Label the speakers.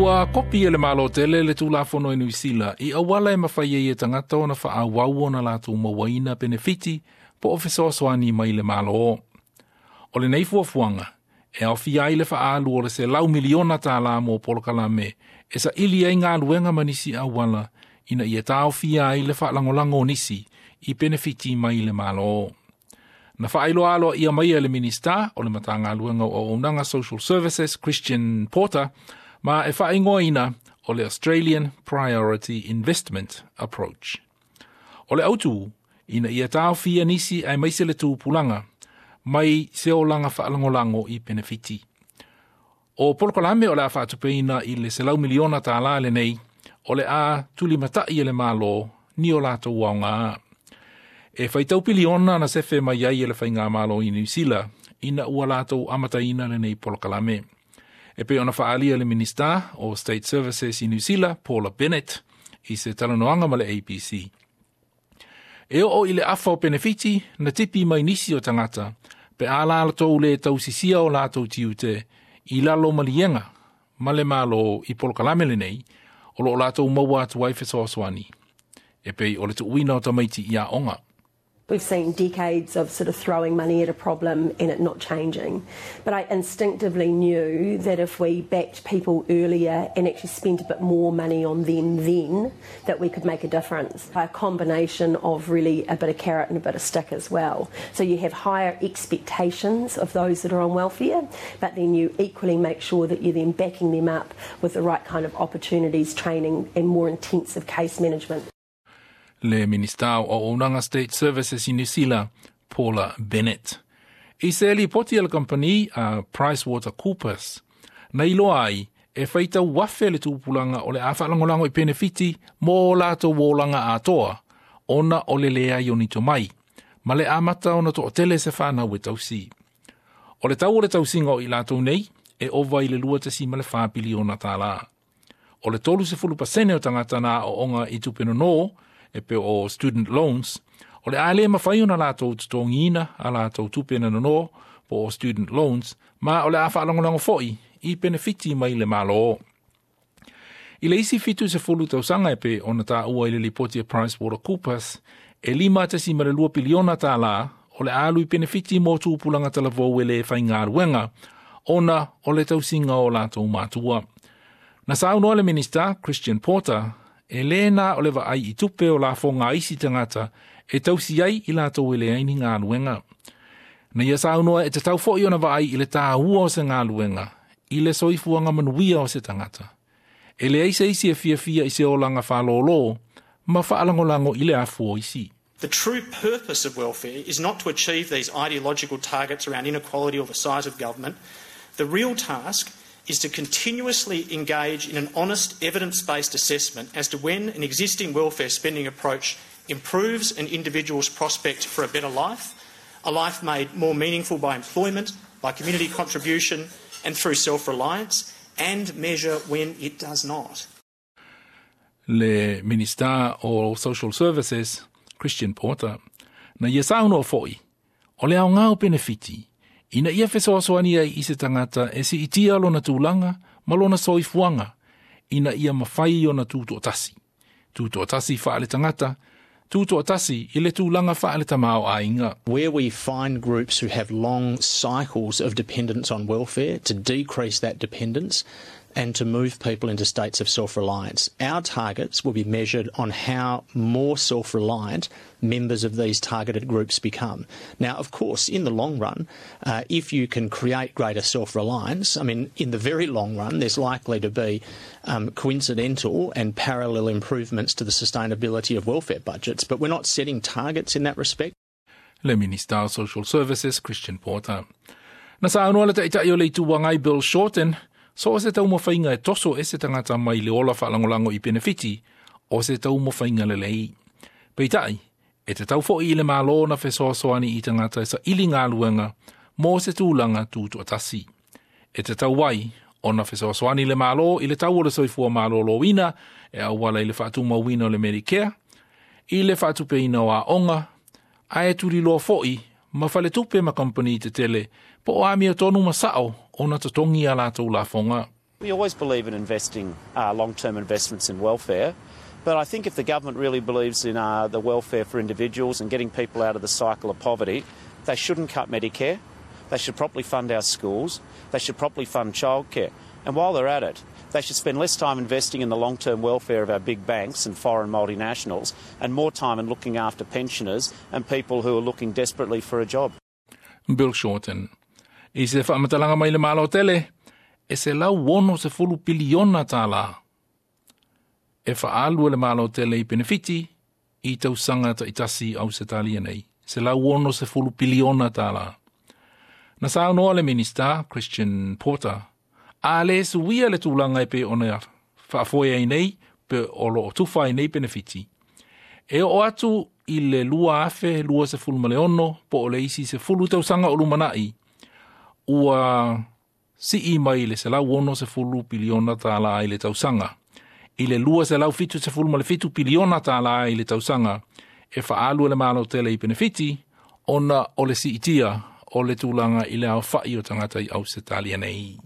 Speaker 1: Ua kopi e le Malo tele le Tulafono i Niu Sila i auala e mafai ai e tagata ona faaauau ona latou mauaina penefiti po o fesoasoani mai le Malo. O lenei fuafuaga e aofia ai le faaalu o le $100 miliona mo polokalame e saili ai galuega ma nisi auala ina ia taofia ai le faalagolago o nisi i penefiti mai le Malo. Na faailoa aloaia mai e le Minisita o le Matagaluega o Auaunaga Social Services Christian Porter ma e faaigoaina o le Australian Priority Investment Approach. O le autu ina ia taofia nisi aemaise le tupulaga mai se olaga faalagolago i penefiti. O polokalame o le a faatupeina i le $100 miliona lenei o le a tulimatai e le Malo ni o latou aoga. E faitau piliona na sefe mai ai e le faigamalo i Niu Sila ina ua latou amataina lenei polokalame. E pei ona faaalia le Minisita o State Services i Niu Sila, Paula Bennett, i se talanoaga ma le ABC. E oo i le afa o penefiti na tipi mai nisi o tagata pe a latou le tausisia o latou tiute i lalo maliega ma le Malo i polokalame lenei o loo latou maua atu ai fesoasoani. E pei o le tuuina o tamaiti i aoga.
Speaker 2: We've seen decades of sort of throwing money at a problem and it not changing. But I instinctively knew that if we backed people earlier and actually spent a bit more money on them then, that we could make a difference. A combination of really a bit of carrot and a bit of stick as well. So you have higher expectations of those that are on welfare, but then you equally make sure that you're then backing them up with the right kind of opportunities, training and more intensive case management.
Speaker 1: Le Minisita o Auaunaga State Services i Niu Sila, Paula Bennett. I se lipoti a le kamupani a PricewaterhouseCoopers, na iloa ai e faitau afe le tupulaga o le a faalagolago i penefiti mo latou olaga atoa ona o le leai o ni tomai, ma le amata ona toatele se fanau e tausi. O le tau o le tausiga o i latou nei e ova i le $2.4 piliona. O le 30% o tagata na aooga i tupe nono e pei o student loans, o le a le mafai ona latou totogiina a latou tupe na nono po o student loans, ma o le a faalagolago foi i penefiti mai le Malo. I le isi 70 tausaga e pei ona taua i le lipoti a PricewaterhouseCoopers, e $5.2 piliona o le a alu i penefiti mo tupulaga talavou e le faigaluega ona o le tausiga o latou matua. Na saunoa le Minisita Christian Porter e le na o le vaai i tupe o lafoga a isi tagata e tausi ai i latou e leai ni galuega. Na ia saunoa e tatau foi ona vaai i le tāua o se galuega i le soifuaga manuia o se tagata. E leai se isi e fiafia i se olaga faalōlō ma faalagolago i le afu o isi.
Speaker 3: The true purpose of welfare is not to achieve these ideological targets around inequality or the size of government. The real task is to continuously engage in an honest, evidence-based assessment as to when an existing welfare spending approach improves an individual's prospect for a better life, a life made more meaningful by employment, by community contribution and through self-reliance, and measure when it does not.
Speaker 1: Le Minisita o Social Services, Christian Porter, na ia saunoa foi, o le aoga o penefiti, ina ia fesoasoani ai i se tagata e siitia lona tulaga ma lona soifuaga, ina ia mafai ona tutoatasi. Tutoatasi faale tagata, tutoatasi i le tulaga faale tamaoaiga.
Speaker 4: Where we find groups who have long cycles of dependence on welfare, to decrease that dependence and to move people into states of self-reliance. Our targets will be measured on how more self-reliant members of these targeted groups become. Now, of course, in the long run, if you can create greater self-reliance, I mean, in the very long run, there's likely to be coincidental and parallel improvements to the sustainability of welfare budgets, but we're not setting targets in that respect.
Speaker 1: Le Minisita of Social Services, Christian Porter. Na saunoa le Taitai o le Itu Agai Bill Shorten, so o se taumafaiga e toso e se tagata mai le ola faalagolago i penefiti, o se taumafaiga lelei. Peitai, e tatau foi i le Malo na fesoasoani i tagata e saili galuega mo se tulaga tutoatasi. E tatau ai ona fesoasoani le Malo i le tau o le soifua malōlōina e auala i le faatumauina o le Medicare, i le faatupeina o aoga, ae tuliloa foi ma faletupe ma kamupani tetele po o amiotonu ma sao ona totogi a latou lafoga.
Speaker 5: We always believe in investing long-term investments in welfare, but I think if the government really believes in the welfare for individuals and getting people out of the cycle of poverty, they shouldn't cut Medicare, they should properly fund our schools, they should properly fund childcare. And while they're at it, they should spend less time investing in the long-term welfare of our big banks and foreign multinationals and more time in looking after pensioners and people who are looking desperately for a job.
Speaker 1: Bill Shorten. I se faamatalaga mai le Malo tele, e $160 piliona e faaalu e le Malo tele i penefiti i tausaga taitasi Ausetalia nei. $160 piliona. Na saunoa le Minista, Christian Porter, a le suia le tulaga e pei ona faafoe ai nei pe o loo tufa ai nei penefiti. E oo atu i le 2026 po o le isi 10 tausaga o lumanai, ua sii mai le $160 piliona i le tausaga. I le $277 piliona i le tausaga e faaalu e le Malo tele i penefiti ona o le siitia o le tulaga i le aofai o tagata i Ausetalia nei.